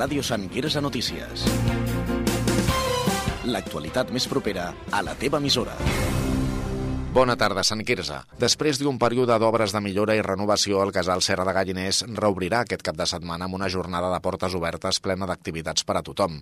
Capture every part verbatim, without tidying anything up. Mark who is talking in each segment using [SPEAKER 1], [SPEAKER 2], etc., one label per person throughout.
[SPEAKER 1] Ràdio Sant Quirze Notícies. L'actualitat més propera a la teva emissora.
[SPEAKER 2] Bona tarda, Sant Quirze. Després d'un període d'obres de millora i renovació, el casal Serra de Galliners reobrirà aquest cap de setmana amb una jornada de portes obertes plena d'activitats per a tothom.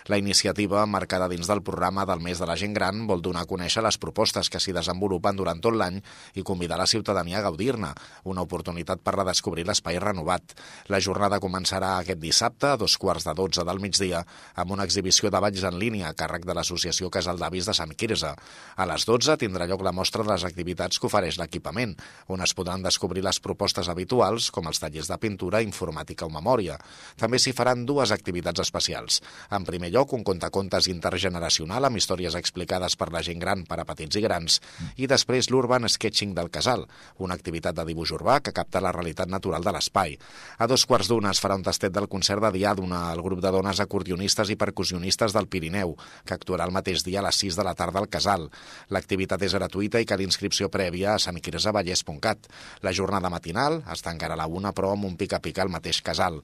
[SPEAKER 2] La iniciativa, marcada dins del programa del mes de la gent gran, vol donar a conèixer les propostes que s'hi desenvolupen durant tot l'any i convidar la ciutadania a gaudir-ne, una oportunitat per redescobrir l'espai renovat. La jornada començarà aquest dissabte a dos quarts de dotze del migdia amb una exhibició de balls en línia a càrrec de l'Associació Casal d'Avis de Sant Quirze. A les dotze tindrà lloc la mostra de les activitats que ofereix l'equipament, on es podran descobrir les propostes habituals, com els tallers de pintura, informàtica o memòria. També s'hi faran dues activitats especials. En primer lloc, un contacontes intergeneracional amb històries explicades per la gent gran per a petits i grans, i després l'Urban Sketching del Casal, una activitat de dibuix urbà que capta la realitat natural de l'espai. A dos quarts d'una es farà un tastet del concert de Diàdona, el grup de dones acordionistes i percussionistes del Pirineu, que actuarà el mateix dia a les sis de la tarda al Casal. L'activitat és gratuïta i cal inscripció prèvia a sant quirze vallès punt cat. La jornada matinal es tancarà a la una, però amb un pica-pica al mateix casal.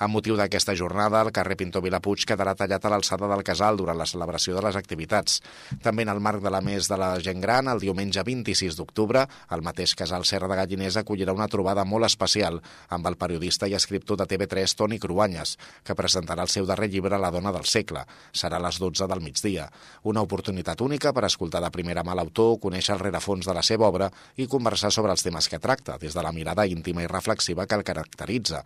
[SPEAKER 2] Amb motiu d'aquesta jornada, el carrer Pintor Vilapuig quedarà tallat a l'alçada del casal durant la celebració de les activitats. També en el marc de la Mes de la Gent Gran, el diumenge vint-i-sis d'octubre, el mateix casal Serra de Galliners acollirà una trobada molt especial amb el periodista i escriptor de T V tres Toni Cruanyes, que presentarà el seu darrer llibre La dona del segle. Serà a les dotze del migdia. Una oportunitat única per escoltar de primera mà l'autor, conèixer el rerefons de la seva obra i conversar sobre els temes que tracta, des de la mirada íntima i reflexiva que el caracteritza.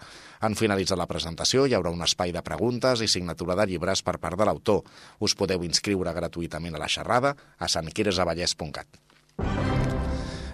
[SPEAKER 2] En finalitzar la presentació hi haurà un espai de preguntes i signatura de llibres per part de l'autor. Us podeu inscriure gratuïtament a la xerrada a sant quirze vallès punt cat.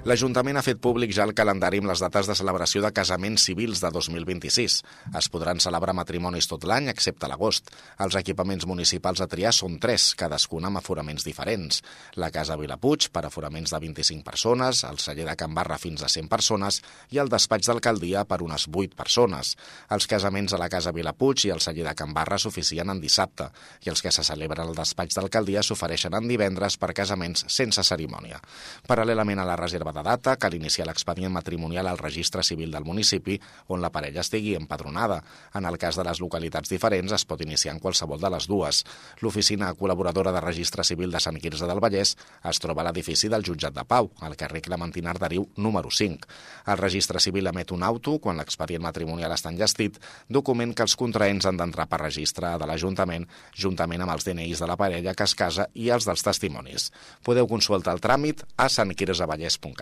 [SPEAKER 2] L'Ajuntament ha fet públic ja el calendari amb les dates de celebració de casaments civils de dos mil vint-i-sis. Es podran celebrar matrimonis tot l'any, excepte l'agost. Els equipaments municipals a triar són tres, cadascun amb aforaments diferents. La Casa Vilapuig, per aforaments de vint-i-cinc persones, el celler de Can Barra fins a cent persones i el despatx d'alcaldia per unes vuit persones. Els casaments a la Casa Vilapuig i el celler de Can Barra s'oficien en dissabte i els que se celebren al despatx d'alcaldia s'ofereixen en divendres per casaments sense cerimònia. Paral·lelament a la reserva de data, cal iniciar l'expedient matrimonial al registre civil del municipi on la parella estigui empadronada. En el cas de les localitats diferents es pot iniciar en qualsevol de les dues. L'oficina col·laboradora de registre civil de Sant Quirze del Vallès es troba a l'edifici del Jutjat de Pau, al carrer Clementina Arderiu número cinc. El registre civil emet un auto quan l'expedient matrimonial està enllestit, document que els contraents han d'entrar per registre de l'Ajuntament, juntament amb els D N Is de la parella que es casa i els dels testimonis. Podeu consultar el tràmit a sant quirze vallès punt cat.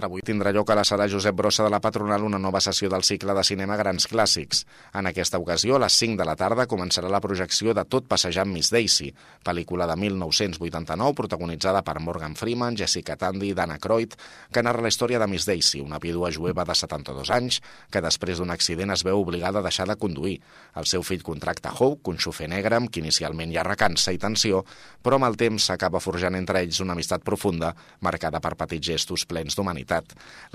[SPEAKER 2] Avui tindrà lloc a la sala Josep Brossa de la Patronal una nova sessió del cicle de cinema Grans Clàssics. En aquesta ocasió, a les cinc de la tarda, començarà la projecció de Tot passejant Miss Daisy, pel·lícula de mil nou-cents vuitanta-nou protagonitzada per Morgan Freeman, Jessica Tandy i Dana Croyd, que narra la història de Miss Daisy, una vídua jueva de setanta-dos anys que després d'un accident es veu obligada a deixar de conduir. El seu fill contracta Hope, un xofer negre amb qui inicialment hi ha recança i tensió, però amb el temps s'acaba forjant entre ells una amistat profunda, marcada per petits gestos plens d'humanitat.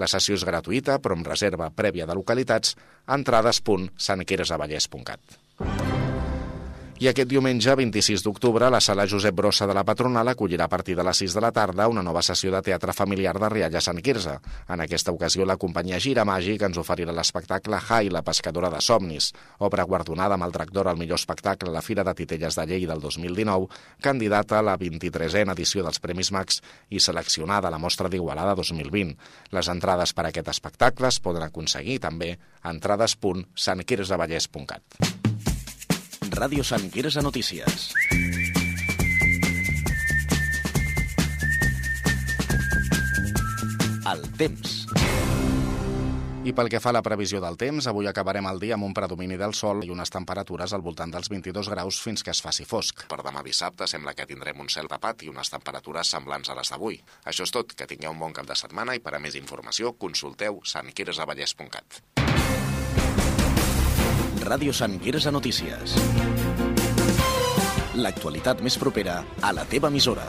[SPEAKER 2] La sessió és gratuïta, però amb reserva prèvia de localitats, entrades punt sant quirze vallès punt cat. I aquest diumenge, vint-i-sis d'octubre, la sala Josep Brossa de la Patronal acollirà a partir de les sis de la tarda una nova sessió de teatre familiar de Rialla Sant Quirze. En aquesta ocasió, la companyia Gira Màgic ens oferirà l'espectacle Jai, la pescadora de somnis, obra guardonada amb el Drac d'Or al millor espectacle a la Fira de Titelles de Lleida del dos mil dinou, candidata a la vint-i-tresena edició dels Premis Max i seleccionada a la Mostra d'Igualada dos mil vint. Les entrades per a aquest espectacle es poden aconseguir també a entrades punt sant quirze vallès punt cat.
[SPEAKER 1] Ràdio Sant Quirze Notícies. El temps.
[SPEAKER 2] I pel que fa a la previsió del temps, avui acabarem el dia amb un predomini del sol i unes temperatures al voltant dels vint-i-dos graus fins que es faci fosc. Per demà dissabte sembla que tindrem un cel tapat i unes temperatures semblants a les d'avui. Això és tot, que tingueu un bon cap de setmana i per a més informació consulteu sant quirze vallès punt cat.
[SPEAKER 1] Ràdio Sant Quirze Notícies. L'actualitat més propera a la teva emissora.